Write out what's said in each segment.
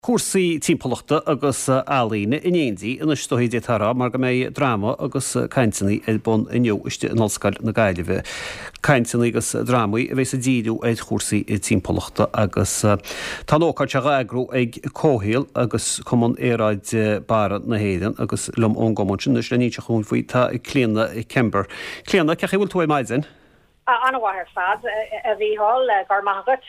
Cúrsaí timpeallachta agus ealaíne in éindí anois is dóichí d'fhéadfá a rá mar go mbeidh dráma agus cainteanna ar bun inniu istigh in Ollscoil na Gaillimhe. Cainteanna agus drámaí a bheas ag díriú ar chúrsaí timpeallachta agus tá an ócáid seo á eagrú ag Comhshaol agus Cumann Aeráide Barra na hÉireann agus liom ón gcumann sin anois le n-inseacht dhúinn faoi tá Clíona Kember. Clíona, cén chaoi a bhfuil tú ar maidin? An-mhaith ar fad, a Mhícheáil, go raibh maith agat.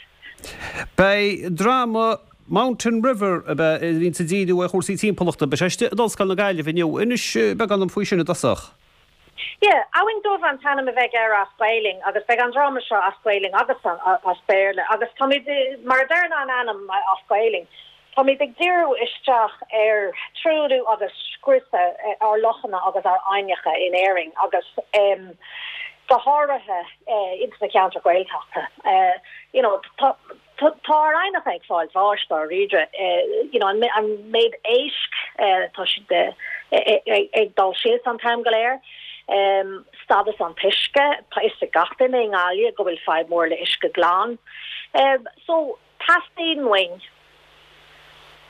Beidh dráma Mountain River a bhíonns ag díriú ar chúrsaí timpeallachta, beidh sé istigh in Ollscoil na Gaillimhe inniu. Inis beagán dom faoi sin i dtosach. Yeah, Abhainn Dubh an t-ainm a bheidh air as Gaelainn agus beidh an dráma seo as Gaelainn agus as Béarla agus táimid, mar a deireann an ainm as Gaelainn, Táimid ag díriú isteach ar truailliú agus scriosadh ár lochanna agus ár aibhneacha in Éirinn agus go háirithe ins na ceantair Ghaeltachta. You know, tá tá ár aibhneacha ag fáil bháis dáiríre. You know, an méid éisc, tá siad ag dul síos an t-am go léir. Stádas an t-uisce, tá fhios ag gach duine i nGaillimh go bhfuil fadhb mór le uisce glan. So, Teastaíonn uainn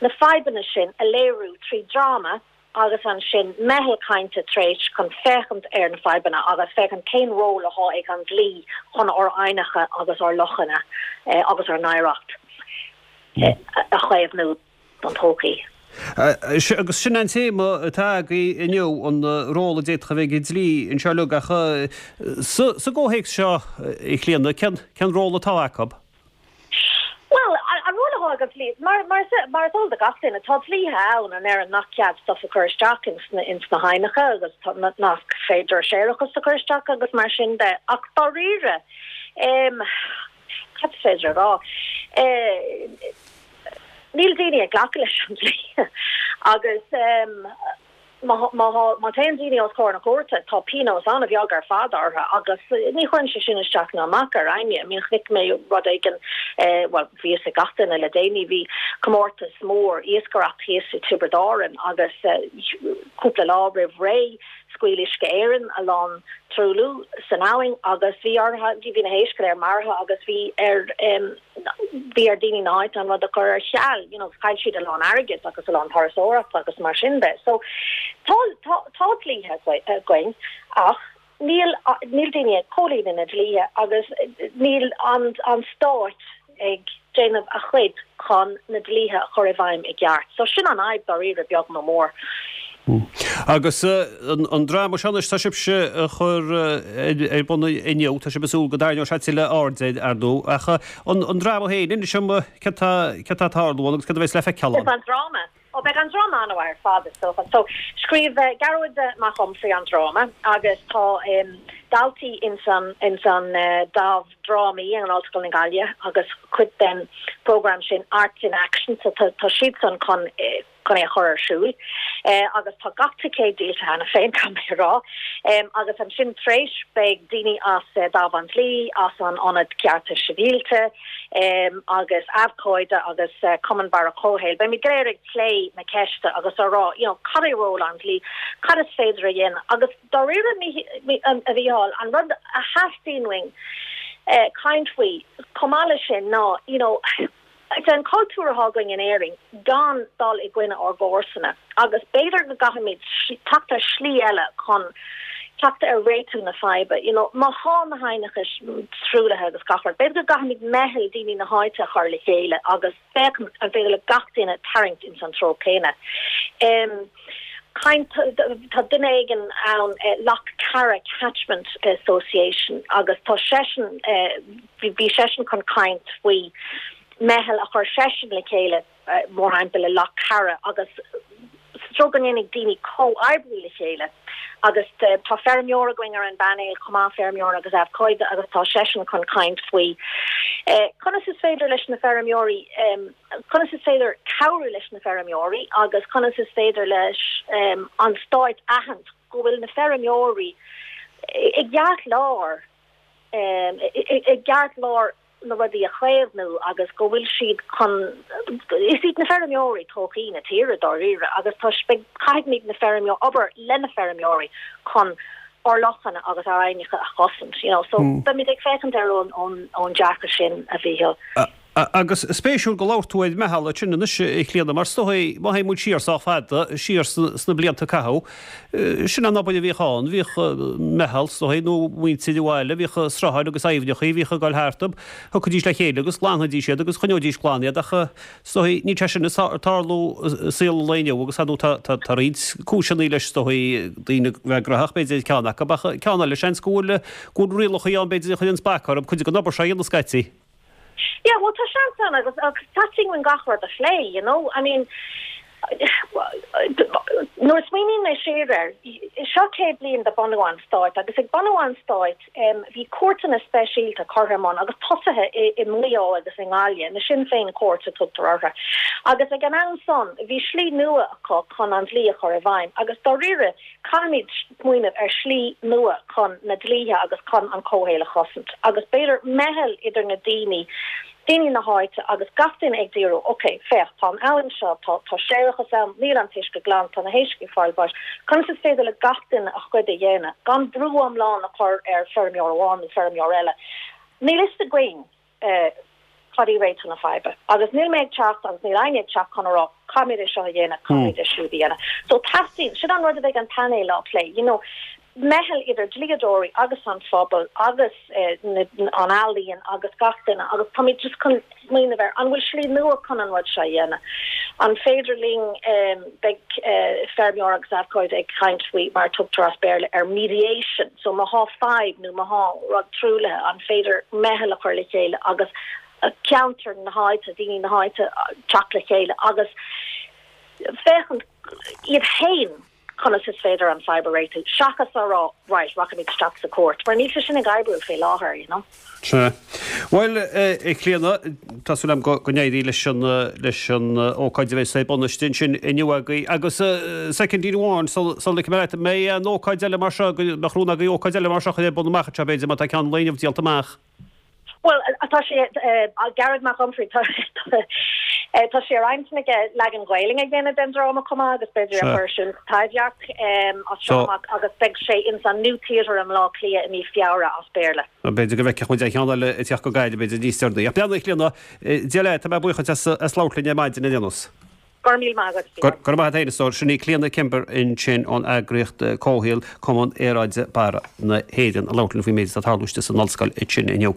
na fadhbanna sin a léiriú trí dráma agus ansin meitheal cainte tar éis chun féachaint ar na fadhbanna agus féachaint cén ról atá ag an dlí chun ár aibhneacha agus ár lochanna agus ár n-oidhreacht a chaomhnú don todhchaí. Agus sin an téama atá agaibh inniu, an ról a d'fhéadfadh a bheith ag an dlí anseo uilig. Ach sa gcomhthéacs seo, a Chlíona, cén ról atá acu? Bhuel, an ról atá ag an dlí, mar, mar, mar is eol do gach duine, tá dlíthe ann a ndeireann nach cead stuff a chur isteach ins na, ins na haibhneacha agus tá, nach féidir séarachas a chur isteach agus mar sin de. Ach dáiríre, em, cad is féidir a rá? Eh, níl daoine ag glacadh leis an dlí agus, em, Má théann daoine os comhair na cúirte, tá pionós an-bheag ar fad orthu agus ní chuireann sé sin isteach ná amach ar éinne. I mean chonaic mé rud éigin, bhuel, bhí fhios ag gach duine le déanaí, bhí comórtas mór iascaireacht thíos i Tiobraid Árann agus cúpla lá roimh ré scaoil Uisce Éireann a lán truailliú san abhainn agus bhí orthu, bhí na héisc go léir maraithe agus bhí ar. bhí ar daoine na háite an rud a chur ar ceal, you know, chaill siad a lán airgid agus a lán turasóireachta agus mar sin de. So tá, tá, tá dlíthe againn ach níl, níl daoine ag comhlíonadh na dlíthe agus níl an, an stát ag déanamh a chuid chun na dlíthe a chur i bhfeidhm i gceart. So sin an fhadhb dáiríre beag nó mór. Agus an dráma seo anois, tá sibhse a chur ar bun inniu, tá sibh ag súil go dtarraingeoidh sé tuilleadh airde air, ar ndóigh. Ach an dráma féin, inis dom céard tá ag tarlú ann agus céard a bheas le feiceáil ann? An dráma? Ó, beidh an dráma an-mhaith ar fad, is dócha. So, scríobh Gearóid Mac Unfraidh an dráma agus tá daltaí ins an dámh drámaí in Ollscoil na Gaillimhe agus cuid den program sin Arts in Action, so tá siadsan chun chun é a chur ar siúl agus tá gach ticéad díolta cheana féin, caithfidh mé a rá. Agus ansin tar éis beidh daoine as Dámh an Dlí, as an Ionad Cearta Sibhialta agus Abhcóide agus Cumann Barra Comhshaoil, beimid go léir ag plé na ceiste agus á rá you know cad é ról an dlí, cad is féidir a dhéanamh agus dáiríre a Mhícheáil, an rud a theastaíonn uainn caint faoi chomh maith leis sin ná you know, Is é an cultúr atá againn in Éirinn gan dul i gcoinne ár gcomharsana agus b'fhéidir go gcaithfimid teacht ar shlí eile chun teacht ar réitiú na faidhbe. You know, má thá na haibhneacha truaillithe agus gach rud, b'fhéidir go gcaithfimid meitheal daoine na háite a chur le chéile agus féachaint an féidir le gach duine tarraingt ins an treo céanna. Em. Caint, tá duine éigin ann, Loch Cara Catchment Association agus tá seisean, bhí seisean chun caint faoi meitheal a chuir seisean le chéile mórthimpeall i Loch Cara agus sa treo go ndéanfaidh daoine comhoibriú le chéile agus tá feirmeoir againn ar an bpainéal chomh maith, feirmeoir agus abhcóide agus tá seisean chun caint faoi conas is féidir leis na feirmeoirí conas is féidir cabhrú leis na feirmeoirí agus conas is féidir leis an stáit aithint go bhfuil na feirmeoirí i gceartlár i gceartlár na rudaí a chaomhnú agus go bhfuil siad chun is iad na feirmeoirí todhchaí na tíre dáiríre agus tá caithfimid na feirmeoirí obair le na feirmeoirí chun ár lochanna agus ár aibhneacha a chosaint you know so beimid ag féachaint air ón ón dearcadh sin a Mhícheáil. Agus spéisiúil go labhair tú ar meitheal ansin anois, a Chlíona, mar is dóigh, má théann muid siar sách fada, siar sna blianta a caitheadh, sin an obair a bhíodh ann, bhíodh meitheal, is dóigh, nó muintir an bhaile, bhíodh srutháin agus aibhneachaí, bhíodh ag dul thartub, thiocfaidís le chéile agus ghlanfaidís iad agus choinneoidís glan iad ach is dóigh, níl sé sin ag tarlú i saol an lae inniu agus ar ndóigh tá tá roinnt cúiseanna leis is dóigh, daoine a bheith graitheach b'fhéidir ceann acu ach ceann eile seans go bhfuil go bhfuil rialacha ann b'fhéidir a chuireanns bac orthu cuid den obair seo a dhéanamh scaití. Yeah, well tá seans ann agus agus teastaíonn uainn gach rud a phlé, you know, I mean nuair a smaoiníonn mé siar air, seo 100 bliain de bunú an stáit agus ag bunú an stáit bhí cúirteanna speisialta curtha i mbun agus tosaithe i i Maigh Eo agus i nGaillimh, na Sinn Féin Courts a tugtar orthu. Agus ag an am san bhí slí nua acu chun an dlí a chur i bhfeidhm agus dáiríre Caithfimid smaoineamh ar shlí nua chun na dlíthe agus chun an comhshaol a chosaint agus b'fhéidir meitheal idir na daoine, daoine na háite agus gach duine ag díriú, ok, féach, tá an abhainn seo, tá, tá séarachas ann, níl an t-uisce glan, tá na héisc ag fáil bháis, conas is féidir le gach duine a chuid a dhéanamh gan brú iomlán a chur ar feirmeoir amháin nó feirmeoir eile. Níl fhios againn. Cad í réiteach na faidhbe? Agus níl mé ag teacht agus níl éinne ag teacht chun a rá caithfimid é seo a dhéanamh, caithfimid é siúd a dhéanamh. So teastaíonn, sin an rud a bheidh an painéal á plé, you know, meitheal idir dlíodóirí agus an phobal agus an ealaíon agus gach duine agus táimid just chun smaoineamh ar an bhfuil slí nua chun an rud seo a dhéanamh? An féidir linn, beidh feirmeoir agus abhcóide ag caint faoi mar a tugtar as Béarla ar mediation, So má thá fadhb nó má thá rud truaillithe, an féidir meitheal a chur le chéile agus ceantar na háite, daoine na háite teacht le chéile agus féachaint iad féin conas is féidir an fadhb a réitiú seachas a rá right, rachaimid isteach sa chúirt mar níl sé sin ag oibriú fé láthair, you know. Sea. Bhuel, a Chlíona, tá súil agam go n-éirí leis an, leis an ócáid a bheas ar bun istigh ansin inniu agaibh. Agus soicindín amháin sula ligfidh mé leat, an mbeidh aon ócáid eile mar seo, go mbeadh rún agaibh ócáid eile mar seo a chur ar bun amach anseo, b'fhéidir, má tá ceann an lae inniu díolta amach? Bhuel, tá sé, Gearóid Mac Unfraidh, tá sé ar intinn aige leagan Gaelainne a dhéanamh den dráma chomh maith agus b'fhéidir a chur ar siúl sa Taibhdhearc as seo amach agus beidh sé ins an New Theatre i mBleá Cliath i mí Feabhra as Béarla. B'fhéidir go bhfeicfeadh muid aon cheann eile ag teacht go Gaillimh, b'fhéidir, níos deireanaí. Ach beannacht Chlíona, Dia leat, tá mé buíoch duit as labhairt linn ar maidin ar aon nós. Go raibh míle maith agat, Go raibh maith agat féin, a stór. Sin í Clíona Kimber ansin ón eagraíocht comhshaoil, Cumann Aeráide Barra na hÉireann, ag labhairt linn faoin méid atá ag tarlú istigh san ollscoil ansin inniu.